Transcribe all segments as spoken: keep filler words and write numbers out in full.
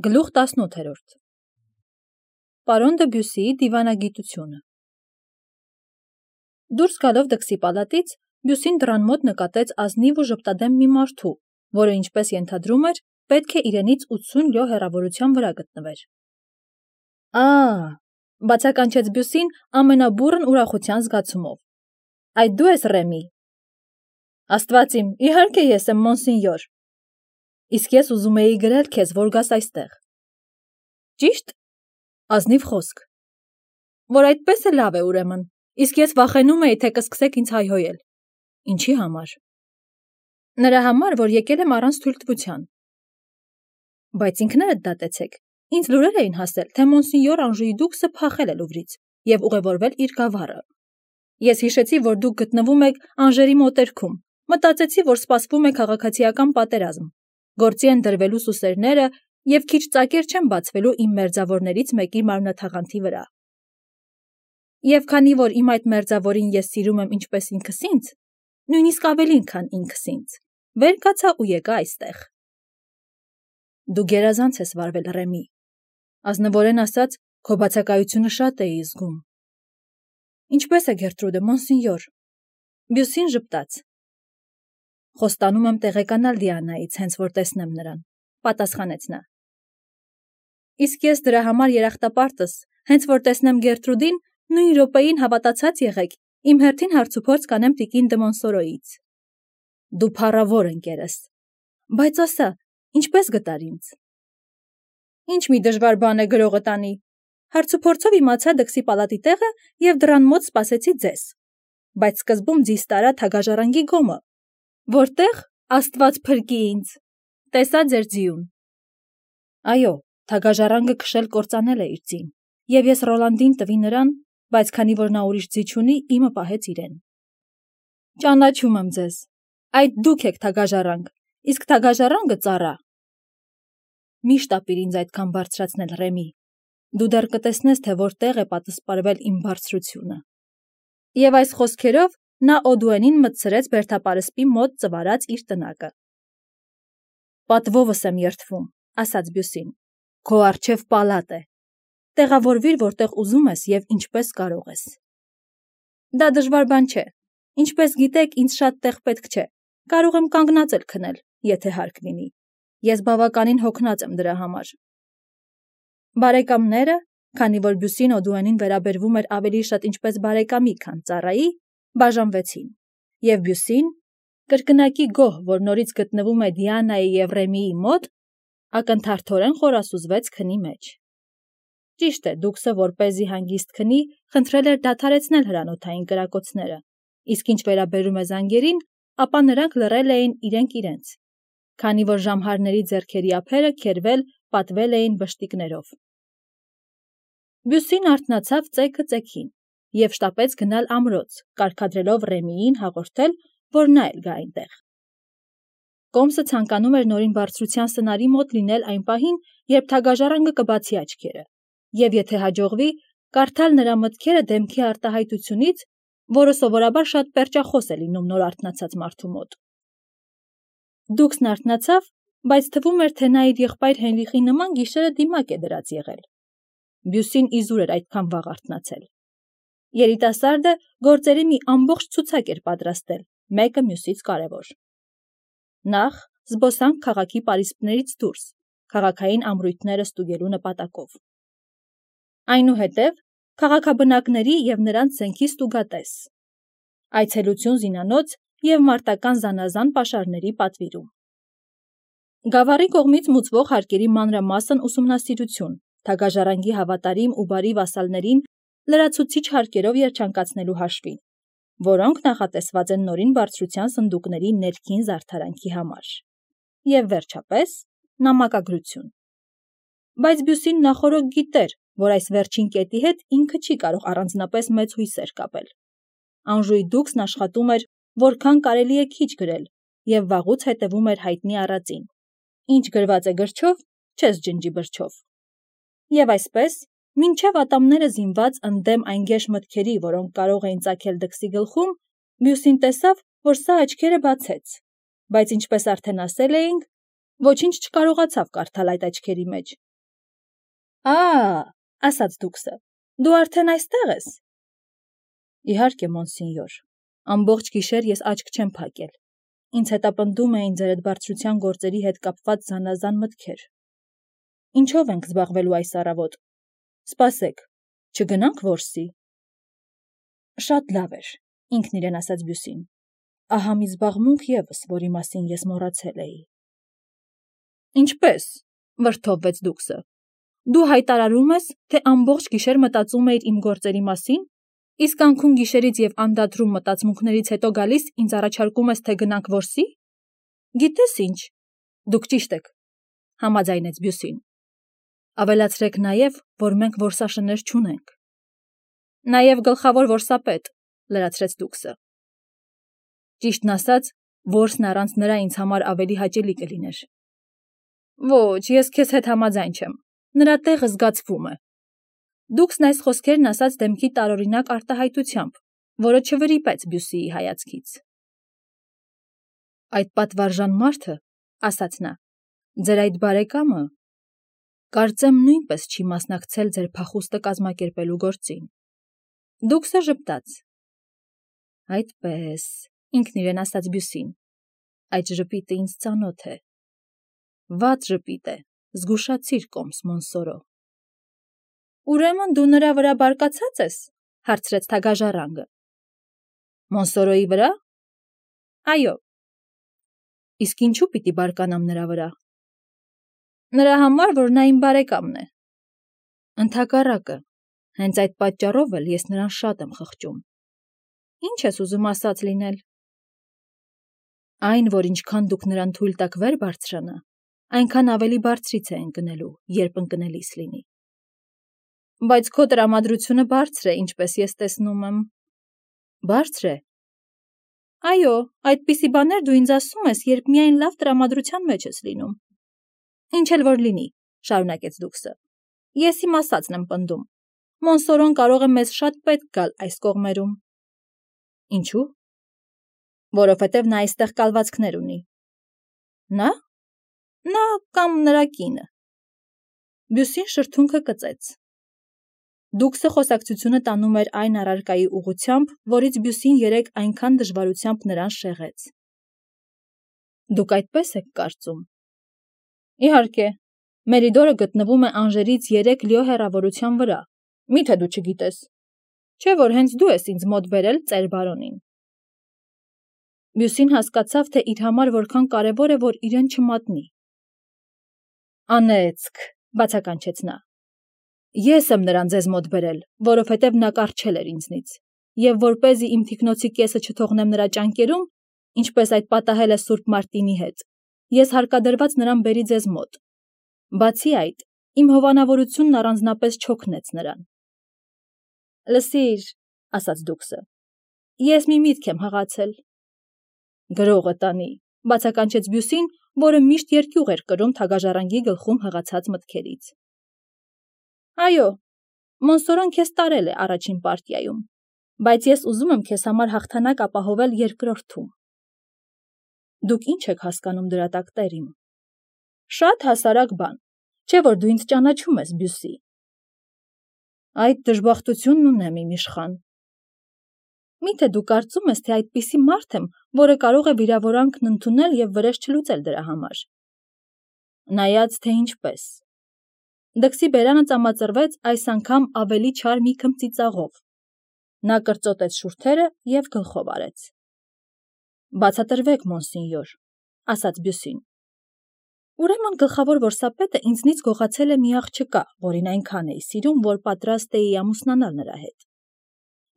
Գլուխ տասնութերորդ Պարոն դը Բյուսիի դիվանագիտությունը Դուրս գալով դքսի պալատից, Բյուսին դռան մոտ նկատեց ազնիվ ու ժպտադեմ մի մարդու, որը ինչպես ենթադրում էր, պետք է իրենից ութսուն լյո հեռավորության վրա գտնվեր։ Ա՜, բացականչեց Բյուսին ամենաբուռն ուրախության զգացումով։ Այդ դու ես Ռեմի։ Աստված իմ, իհարկե ես եմ, մոնսինյոր։ Իսկ ես ուզում էի գրել քեզ, որ գաս այստեղ։ Ճիշտ։ Ազնիվ խոսք։ Որ այդպես է լավ է ուրեմն, իսկ ես վախենում էի, թե կսկսեք ինձ հայհոյել։ Ինչի համար։ Նրա համար, որ եկել եմ առանց թույլտվության։ Բայց ինքներդ դատեցեք։ Ինձ լուրեր էին հասել, թե մոնսինյոր Անժուի դուքսը փախել է Լուվրից եւ ուղևորվել իր գավառը։ Ես հիշեցի, որ դուք գտնվում եք Անժերի մոտերքում։ Մտածեցի, որ սպասվում է քաղաքացիական պատերազմ։ Գործի են դրվելու սուսերները եւ քիչ ծակեր չեն բացվելու իմ մերձավորներից մեկի մարմնաթաղանթի վրա։ Եվ քանի որ իմ այդ մերձավորին ես սիրում եմ ինչպես ինքս ինձ, նույնիսկ ավելին, քան ինքս ինձ, վեր կացա ու եկա այստեղ։ Դու գերազանց ես վարվել, Ռեմի։ Ազնվորեն ասած, քո բացակայությունը շատ էի զգում։ Ինչպես է Գերտրուդը, մոնսինյոր։ Բյուսին ժպտաց։ Խոստանում եմ տեղեկանալ Դիանայից, հենց որ տեսնեմ նրան, պատասխանեց նա։ Իսկ ես դրա համար երախտապարտս, հենց որ տեսնեմ Գերտրուդին, նույն րոպեին հավատացած եղեք, իմ հերթին հարցուփորձ կանեմ տիկին դը Մոնսորոյից։ Դու փառավոր ընկերս։ Բայց ասա, ինչպես գտար ինձ։ Ինչ մի դժվար բան է գրողը տանի։ Հարցուփորձով իմացա դքսի պալատի տեղը եւ դռան մոտ սպասեցի ձեզ։ Բայց սկզբում ձիզ տարա թագաժառանգի գոմը։ Որտեղ, Աստված փրկի ինձ, տեսա ձեր ձիուն։ Այո, թագաժառանգը քշել կործանել է իր ձին, եւ ես Ռոլանդին տվի նրան, բայց քանի որ նա ուրիշ ձի չունի, իմը պահեց իրեն։ Ճանաչում եմ ձեզ։ Այդ դուք եք թագաժառանգ, իսկ թագաժառանգը ծառա։ Մի շտապիր ինձ այդքան բարձրացնել, Ռեմի։ Դու դեռ կտեսնես, թե որտեղ է պատսպարվել իմ բարձրությունը։ Եվ այս խոսքերով նա Օդուենին մտցրեց բերդապարսպի մոտ ծվարած իր տնակը։ Պատվովս եմ երդվում, ասաց Բյուսին։ Քո առջև պալատ է։ Տեղավորվիր, որտեղ ուզում ես եւ ինչպես կարող ես։ Դա դժվար բան չէ։ Ինչպես գիտեք, ինձ շատ տեղ պետք չէ։ Կարող եմ կանգնած էլ քնել, եթե հարկ լինի։ Ես բավականին հոգնած եմ դրա համար։ Բարեկամները, քանի որ Բյուսին Օդուենին վերաբերվում էր ավելի շատ ինչպես բարեկամի, քան ծառայի, բաժանվեցին, եւ Բյուսին, կրկնակի գոհ, որ նորից գտնվում է Դիանայի եւ Ռեմիի մոտ, ակնթարթորեն խորասուզվեց քնի մեջ։ Ճիշտ է, դուքսը որպեսզի հանգիստ քնի, խնդրել էր դադարեցնել հրանոթային կրակոցները, իսկ ինչ վերաբերում է զանգերին, ապա նրանք լռել էին իրենք իրենց, քանի որ ժամհարների ձեռքերի ափերը քերվել, պատվել էին բշտիկներով։ Բյուսին արթնացավ ծեքը ծեքին եւ շտապեց գնալ ամրոց, կարգադրելով Ռեմիին հաղորդել, որ նա էլ գա այնտեղ։ Կոմսը ցանկանում էր նորին բարձրության սնարի մոտ լինել այն պահին, երբ թագաժառանգը կբացի աչքերը, եւ եթե հաջողվի, կարդալ նրա մտքերը դեմքի արտահայտությունից, որը սովորաբար շատ պերճախոս է լինում նոր արթնացած մարդու մոտ։ Դուքսն արթնացավ, բայց թվում էր, թե նա իր եղբայր Հենրիխի նման գիշերը դիմակ է դրած եղել։ Բյուսին իզուր էր այդքան վաղ արթնացել։ Երիտասարդը գործերի մի ամբողջ ցուցակ էր պատրաստել, մեկը մյուսից կարևոր։ Նախ զբոսանք քաղաքի պարիսպներից դուրս, քաղաքային ամրույթները ստուգելու նպատակով։ Այնուհետև քաղաքաբնակների եւ նրանց զենքի ստուգատես։ Այցելություն զինանոց եւ մարտական զանազան պաշարների պատվիրում։ Գավառի կողմից մուծվող հարկերի մանրամասն ուսումնասիրություն, թագաժառանգի հավատարիմ ու բարի վասալներին լրացուցիչ հարկերով երջանկացնելու հաշվին, որոնք նախատեսված են նորին բարձրության սնդուկների ներքին զարդարանքի համար։ Եվ վերջապես նամակագրություն։ Բայց Բյուսին նախօրոք գիտեր, որ այս վերջին կետի հետ ինքը չի կարող առանձնապես մեծ հույսեր կապել։ Անժուի դուքսն աշխատում էր, որքան կարելի է քիչ գրել, եւ վաղուց հետևում էր հայտնի առածին։ Ինչ գրված է գրչով, չես ջնջի բրչով։ Եվ այսպես, մինչև ատամները զինված ընդդեմ այն գեշ մտքերի, որոնք կարող էին ծագել դքսի գլխում, Բյուսին տեսավ, որ սա աչքերը բացեց, բայց ինչպես արդեն ասել էինք, ոչինչ չկարողացավ կարդալ այդ աչքերի մեջ, Ա, ասաց դուքսը, դու արդեն այստեղ ես։ Իհարկե, մոնսինյոր, ամբողջ գիշեր ես աչք չեմ փակել։ Ինձ հետապնդում էին ձեր այդ բարձրության գործերի հետ կապված զանազան մտքեր։ Ինչով ենք զբաղվելու այս առավոտ։ Սպասեք, չգնանք որսի։ Շատ լավ էր, ինքն իրեն ասաց Բյուսին։ Ահա մի զբաղմունք ևս, որի մասին ես մոռացել էի։ Ինչպես, վրդովվեց դուքսը։ Դու հայտարարում ես, թե ամբողջ գիշեր մտածում էիր իմ գործերի մասին, իսկ անքուն գիշերից եւ անդադրում մտածմունքներից հետո գալիս ինձ առաջարկում ես, թե գնանք որսի։ Գիտես ինչ, դուք ճիշտ եք, համաձայնեց Բյուսին։ Ավելացրեք նաեւ, որ մենք որսաշներ չունենք։ Նաեւ գլխավոր որսապետ, լրացրեց դուքսը։ Ճիշտն ասած, որսն առանց նրա ինձ համար ավելի հաճելի կլիներ։ Ոչ, ես քեզ հետ համաձայն չեմ։ Նրա տեղը զգացվում է։ Դուքսն այս խոսքերն ասաց դեմքի տարօրինակ արտահայտությամբ, որը չվրիպեց Բյուսիի հայացքից։ Այդ պատվարժան մարդը, ասաց նա, ձեր այդ բարեկամը, կարծեմ նույնպես չի մասնակցել ձեր փախուստը կազմակերպելու գործին։ Դուքսը ժպտաց։ Այդպես, ինքն իրեն ասաց Բյուսին, այդ ժպիտը ինձ ծանոթ է։ Վատ ժպիտ է, զգուշացիր կոմս Մոնսորո։ Ուրեմն դու նրա վրա բարկացած ես, հարցրեց թագաժառանգը։ Մոնսորոյի վրա։ Այո։ Իսկ ինչու պիտի բարկանամ նրա վրա։ Նրա համար, որ նա իմ բարեկամն է։ Ընդհակառակը, հենց այդ պատճառով էլ ես նրան շատ եմ խղճում։ Ինչ ես ուզում ասած լինել։ Այն, որ ինչքան դուք նրան թույլ տաք վեր բարձրանա, այնքան ավելի բարձրից է ընկնելու, երբ ընկնելիս լինի։ Բայց քո տրամադրությունը բարձր է, ինչպես ես տեսնում եմ։ Բարձր է։ Այո, այդպիսի բաներ դու ինձ ասում ես, երբ միայն լավ տրամադրության մեջ ես լինում։ Ինչ էլ որ լինի, շարունակեց դուքսը։ Ես իմ ասածն եմ պնդում։ Մոնսորոն կարող է մեզ շատ պետք գալ այս կողմերում։ Ինչու։ Որովհետև նա այստեղ կալվածքներ ունի։ Նա։ Նա կամ նրա կինը։ Բյուսին շրթունքը կծեց։ Դուքսը խոսակցությունը տանում էր այն առարկայի ուղղությամբ, որից Բյուսին երեկ այնքան դժվարությամբ նրան շեղեց։ Դուք այդպես եք կարծում։ Իհարկե, Մերիդորը գտնվում է Անժերից երեք լյո հեռավորության վրա։ Միթե դու չգիտես։ Չէ՞ որ հենց դու ես ինձ մոտ բերել ծեր բարոնին։ Բյուսին հասկացավ, թե իր համար որքան կարևոր է, որ իրեն չմատնի։ Անեծք, բացականչեց նա։ Ես եմ նրան ձեզ մոտ բերել, որովհետև նա կառչել էր ինձնից, եւ որպեսզի իմ թիկնոցի կեսը չթողնեմ նրա ճանկերում, ինչպես այդ պատահել է Սուրբ Մարտինի հետ, ես հարկադրված նրան բերի ձեզ մոտ։ Բացի այդ, իմ հովանավորությունն առանձնապես չօգնեց նրան։ Լսիր, ասաց դուքսը, ես մի միտք եմ հղացել։ Գրողը տանի, բացականչեց Բյուսին, որը միշտ երկյուղ էր կրում թագաժառանգի գլխում հղացած մտքերից։ Այո, Մոնսորոն քեզ տարել է առաջին պարտիայում, բայց ես ուզում եմ քեզ համար հաղթանակ ապահովել երկրորդում։ Դուք ինչ եք հասկանում դրա տակ, տերիմ։ Շատ հասարակ բան, չէ՞ որ դու ինձ ճանաչում ես, Բյուսի։ Այդ դժբախտությունն ունեմ, իմ իշխան։ Միթե դու կարծում ես, թե այդպիսի մարդ եմ, որը կարող է վիրավորանքն ընդունել եւ վրեժ չլուծել դրա համար։ Նայած թե ինչպես։ Դքսի բերանը ծամածրվեց այս անգամ ավելի չար մի քմծիծաղով։ Նա կրծոտեց շուրթերը եւ գլխով արեց։ Բացատրվեք, մոնսինյոր, ասաց Բյուսին։ Ուրեմն գլխավոր որսապետը ինձնից գողացել է մի աղջկա, որին այնքան էի սիրում, որ պատրաստ էի ամուսնանալ նրա հետ։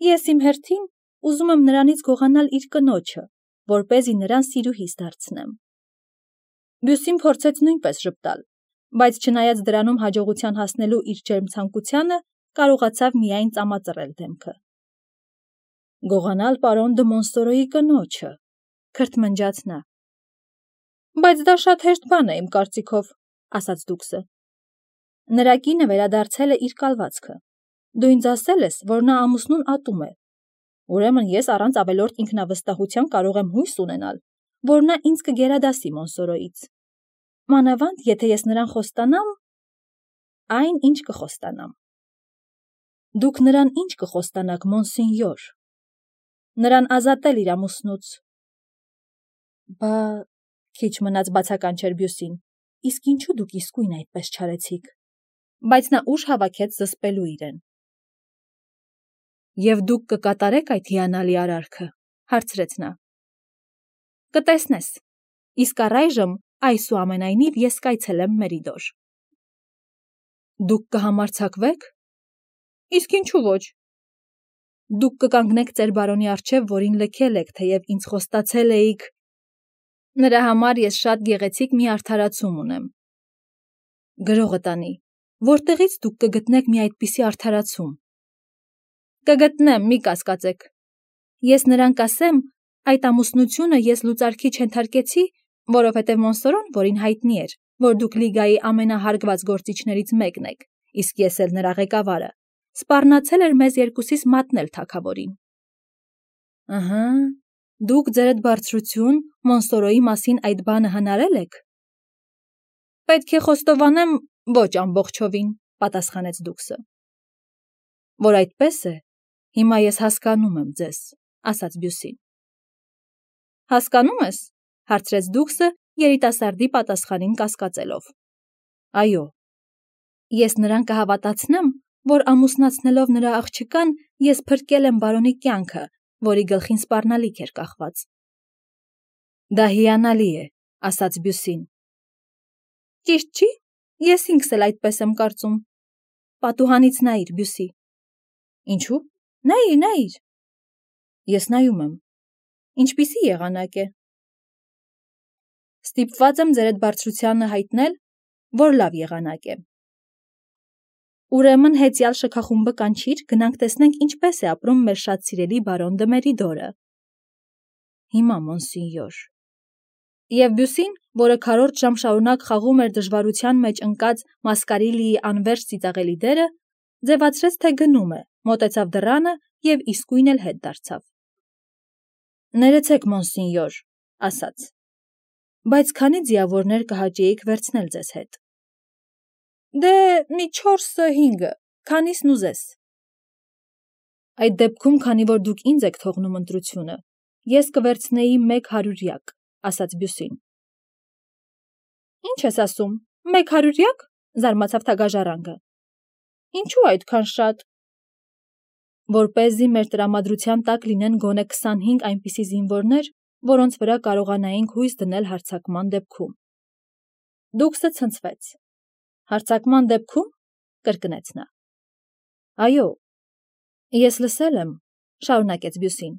Ես իմ հերթին ուզում եմ նրանից գողանալ իր կնոջը, որպեսզի նրան սիրուհիս դարձնեմ։ Բյուսին փորձեց նույնպես ժպտալ, բայց չնայած դրանում հաջողության հասնելու իր ջերմ ցանկությանը, կարողացավ միայն ծամածրել դեմքը։ Գողանալ պարոն դը Մոնսորոյի կնոջը, քրթմնջաց նա։ Բայց դա շատ հեշտ բան է իմ կարծիքով, ասաց դուքսը։ Նրա կինը վերադարձել է իր կալվածքը։ Դու ինձ ասել ես, որ նա ամուսնուն ատում է։ Ուրեմն ես առանց ավելորդ ինքնավստահության կարող եմ հույս ունենալ, որ նա ինձ կգերադասի Մոնսորոյից։ Մանավանդ, եթե ես նրան խոստանամ։ Այն, ինչ կխոստանամ։ Դուք նրան ինչ կխոստանաք, մոնսինյոր։ Նրան ազատել իր ամուսնուց։ Բա, քիչ մնաց բացականչեր Բյուսին, իսկ ինչու դուք իսկույն այդպես չարեցիք։ Բայց նա ուժ հավաքեց զսպելու իրեն։ Եվ դուք կկատարեք այդ հիանալի արարքը, հարցրեց նա։ Կտեսնես, իսկ առայժմ այսուամենայնիվ ես կայցելեմ Մերիդոր։ Դուք կհամարձակվեք։ Իսկ ինչու ոչ։ Դուք կկանգնեք ծեր բարոնի առջև, որին լքել եք, թեև ինձ խոստացել էիք։ Նրա համար ես շատ գեղեցիկ մի արդարացում ունեմ։ Գրողը տանի, որտեղից դուք կգտնեք մի այդպիսի արդարացում։ Կգտնեմ, մի կասկածեք։ Ես նրան կասեմ, այդ ամուսնությունը ես լուծարքի չենթարկեցի, որովհետև Մոնսորոն, որին հայտնի էր, որ դուք լիգայի ամենահարգված գործիչներից մեկն եք, իսկ ես էլ նրա ղեկավարը, սպառնացել էր մեզ երկուսիս մատնել թագավորին։ Ըհը, դուք ձերդ բարձրություն Մոնսորոյի մասին այդ բանը հնարել եք։ Պետք է խոստովանեմ, ոչ ամբողջովին, պատասխանեց դուքսը։ Որ այդպես է, հիմա ես հասկանում եմ ձեզ, ասաց Բյուսին։ Հասկանում ես, հարցրեց դուքսը երիտասարդի պատասխանին կասկածելով։ Այո, ես նրան կհավատացնեմ, որ ամուսնացնելով նրա աղջկան, ես փրկել եմ բարոնի կյանքը, որի գլխին սպառնալիք էր կախված։ Դա հիանալի է, ասաց Բյուսին։ Ճիշտ չի, ես ինքս էլ այդպես եմ կարծում։ Պատուհանից նայիր, Բյուսի։ Ինչու։ Նայիր, նայիր։ Ես նայում եմ։ Ինչպիսի եղանակ է։ Ստիպված եմ ձերդ բարձրությանը հայտնել, որ լավ եղանակ է։ Ուրեմն հեծյալ շքախումբը կանչիր, գնանք տեսնենք ինչպես է ապրում մեր շատ սիրելի բարոն դը Մերիդորը։ Հիմա, մոնսինյոր։ Եվ Բյուսին, որը քառորդ ժամ շարունակ խաղում էր դժվարության մեջ ընկած Մասկարիլիի անվերջ ծիծաղելի դերը, ձևացրեց, թե գնում է, մոտեցավ դռանը և իսկույն էլ հետ դարձավ։ Ներեցեք, մոնսինյոր, ասաց, բայց քանի ձիավորներ կհաճեիք վերցնել ձեզ հետ։ Դե մի չորսը հինգը, քանիսն ուզես։ Այդ դեպքում, քանի որ դուք ինձ եք թողնում ընտրությունը, ես կվերցնեի մեկ հարյուրյակ, ասաց Բյուսին։ Ինչ ես ասում, մեկ հարյուրյակ, զարմացավ թագաժառանգը։ Ինչու այդքան շատ։ Որպեսզի մեր տրամադրության տակ լինեն գոնե քսանհինգ այնպիսի զինվորներ, որոնց վրա կարողանայինք հույս դնել հարձակման դեպքում։ Դուքսը ցնցվեց։ Հարձակման դեպքում, կրկնեց նա։ Այո, ես լսել եմ, շարունակեց Բյուսին,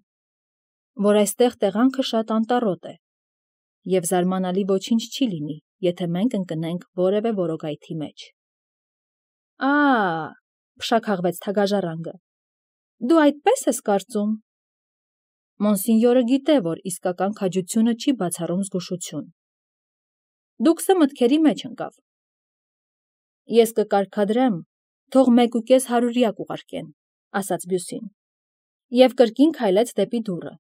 որ այստեղ տեղանքը շատ անտառոտ է, և զարմանալի ոչինչ չի լինի, եթե մենք ընկնենք որևէ որոգայթի մեջ։ Ա, փշաքաղվեց թագաժառանգը, դու այդպես ես կարծում։ Մոնսինյորը գիտե, որ իսկական քաջությունը չի բացառում զգուշություն։ Դուքսը մտքերի մեջ ընկավ։ Ես կկարգադրեմ, թող մեկ ու կես հարյուրյակ ուղարկեն, ասաց Բյուսին, և կրկին քայլեց դեպի դուռը։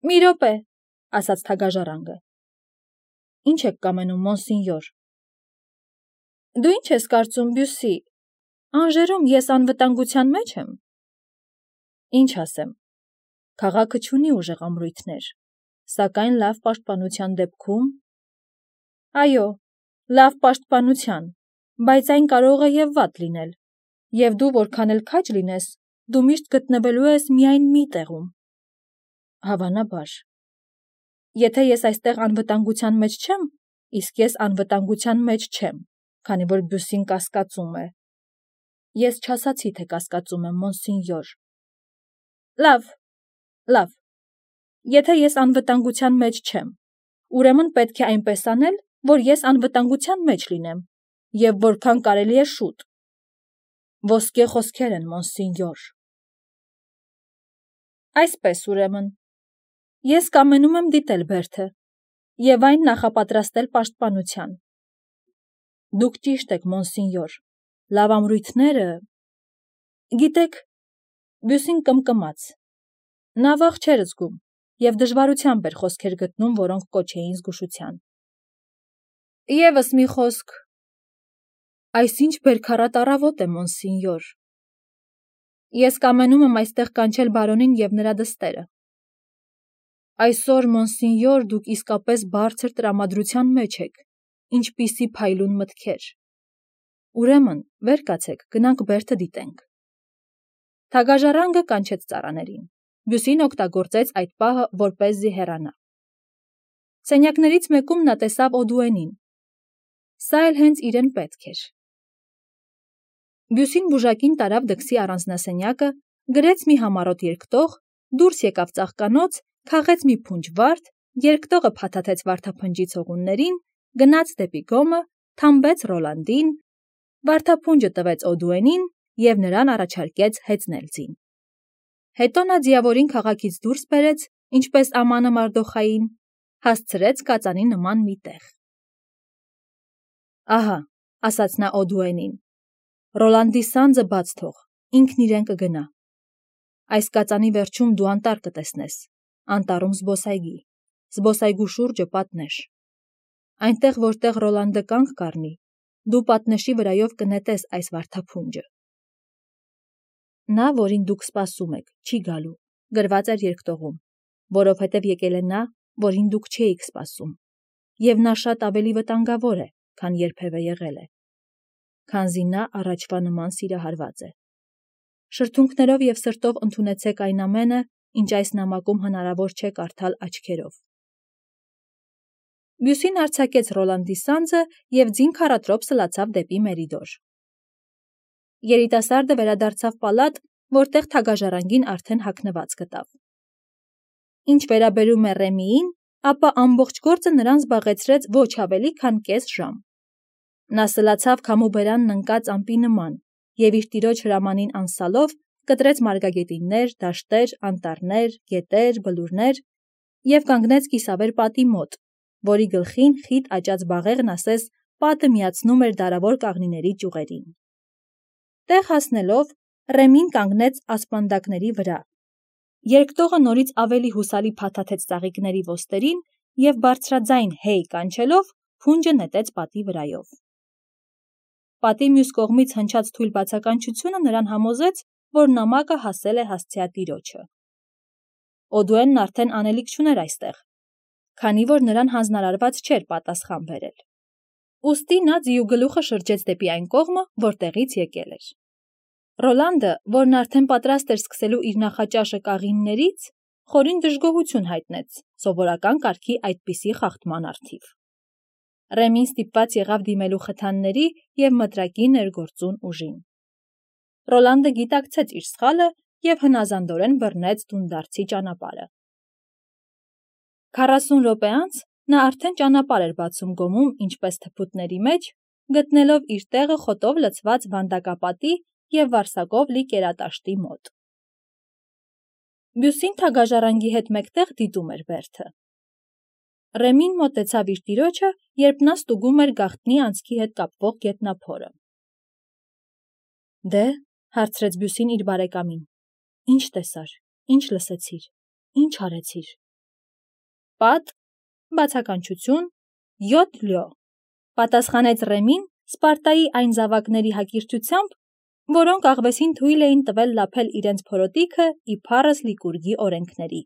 Մի րոպե, ասաց թագաժառանգը։ Ինչ եք կամենում, մոնսինյոր։ Դու ինչ ես կարծում, Բյուսի, Անժերում ես անվտանգության մեջ եմ։ Ինչ ասեմ, քաղաքը չունի ուժեղ ամրույթներ, սակայն լավ պաշտպանության դեպքում։ Այո, լավ պաշտպանության, բայց այն կարող է և վատ լինել, և դու որքան էլ քաջ լինես, դու միշտ գտնվելու ես միայն մի տեղում։ Հավանաբար։ Եթե ես այստեղ անվտանգության մեջ չեմ, իսկ ես անվտանգության մեջ չեմ, քանի որ Բյուսին կասկածում է։ Ես չասացի, թե կասկածում եմ, մոնսինյոր։ Լավ, լավ, եթե ես անվտանգության մեջ չեմ, ուրեմն պետք է այնպես անել, որ ես անվտանգության մեջ լինեմ, և որքան կարելի է շուտ։ Ոսկե խոսքեր են, մոնսինյոր։ Այսպես ուրեմն, ես կամենում եմ դիտել Բերդը, և այն նախապատրաստել պաշտպանության։ Դուք ճիշտ եք, մոնսինյոր, լավ ամրույթները… Գիտեք, Բյուսին կմկմաց։ Նա վախ չէր զգում և դժվարությամբ էր խոսքեր գտնում, որոնք կոչ էին զգուշության։ Եվս մի խոսք։ Այսինչ բերքարատ առավոտ է, մոնսինյոր։ Ես կամենում եմ այստեղ կանչել բարոնին և նրա դստերը։ Այսօր, մոնսինյոր, դուք իսկապես բարձր տրամադրության մեջ եք, ինչպիսի փայլուն մտքեր։ Ուրեմն, վեր կացեք, գնանք բերդը դիտենք։ Թագաժառանգը կանչեց ծառաներին։ Բյուսին օգտագործեց այդ պահը, որպեսզի հեռանա։ Սենյակներից մեկում նա տեսավ Օդուենին։ Սա էլ հենց իրեն պետք էր։ Բյուսին բուժակին տարավ դքսի առանձնասենյակը, գրեց մի համառոտ երկտող, դուրս եկավ ծաղկանոց, քաղեց մի փունջ վարդ, երկտողը փաթաթեց վարդափնջի ցողուններին, գնաց դեպի գոմը, թամբեց Ռոլանդին, վարդափունջը տվեց Օդուենին և նրան առաջարկեց հեծնել ձին։ Հետո նա ձիավորին քաղաքից դուրս բերեց, ինչպես ամանը Մարդոխային, հասցրեց կածանի նման մի տեղ։ Ահա, ասաց նա Օդուենին, Ռոլանդի սանձը բաց թող, ինքն իրեն կգնա։ Այս կածանի վերջում դու անտառ կտեսնես, անտառում զբոսայգի, զբոսայգու շուրջը պատնեշ։ Այնտեղ, որտեղ Ռոլանդը կանգ կառնի, դու պատնեշի վրայով կնետես այս վարդափունջը։ Նա, որին դուք սպասում եք, չի գալու, գրված էր երկտողում, որովհետև եկել է նա, որին դուք չէիք սպասում, և նա շատ ավելի վտանգավոր է, քան երբևէ եղել է, քանզի նա առաջվա նման սիրահարված է։ Շրթունքներով և սրտով ընդունեցեք այն ամենը, ինչ այս նամակում հնարավոր չէ կարդալ աչքերով։ Բյուսին արձակեց Ռոլանդի սանձը և ձին քառատրոփ սլացավ դեպի Մերիդոր։ Երիտասարդը վերադարձավ պալատ, որտեղ թագաժառանգին արդեն հագնված գտավ։ Ինչ վերաբերում է Ռեմիին, ապա ամբողջ գործը նրան զբաղեցրեց ոչ ավելի, քան կես ժամ։ Նա սլացավ քամուբերանն ընկած ամպի նման և իր տիրոջ հրամանին անսալով կտրեց մարգագետիններ, դաշտեր, անտառներ, գետեր, բլուրներ և կանգնեց կիսավեր պատի մոտ, որի գլխին խիտ աճած բաղեղն ասես պատը միացնում էր դարավոր կաղնիների ճյուղերին։ Տեղ հասնելով, Ռեմին կանգնեց ասպանդակների վրա։ Երկտողը նորից ավելի հուսալի փաթաթեց ծաղիկների ոսτερին և բարձրաձայն հեյ կանչելով փունջը նետեց պատի վրայով։ Պատի մյուս կողմից հնչած թույլ բացականչությունը նրան համոզեց, որ նամակը հասել է հասցեատիրոջը։ Օդուենն արդեն անելիք չուներ այստեղ, քանի որ նրան հանձնարարված չէր պատասխան բերել։ Ուստի նա ձիու գլուխը շրջեց դեպի այն կողմը, որտեղից եկել էր։ Ռոլանդը, որն արդեն պատրաստ էր սկսելու իր նախաճաշը կաղիններից, խորին դժգոհություն հայտնեց սովորական կարգի այդպիսի խախտման առթիվ։ Ռեմին ստիպված եղավ դիմելու խթանների և մտրակի ներգործուն ուժին։ Ռոլանդը գիտակցեց իր սխալը և հնազանդորեն բռնեց դունդարձի ճանապարհը։ Քառասուն րոպե անց նա արդեն ճանապարհ էր բացում գոմում ինչպես թփուտների մեջ, գտնելով իր տեղը խոտով լցված վանդակապատի և վարսակով լի կերատաշտի մոտ։ Բյուսին թագաժառանգի հետ մեկտեղ դիտում էր բերդը։ Ռեմին մոտեցավ իր տիրոջը, երբ նա ստուգում էր գաղտնի անցքի հետ կապվող գետնափորը։ Դե, հարցրեց Բյուսին իր բարեկամին, ի՞նչ տեսար, ի՞նչ լսեցիր, ի՞նչ արեցիր։ Պատ, բացականչություն, յոթ լյո, պատասխանեց Ռեմին Սպարտայի այն զավակների հակիրճությամբ, որոնք աղվեսին թույլ էին տվել լափել իրենց փորոտիքը ի փառս Լիկուրգի օրենքների։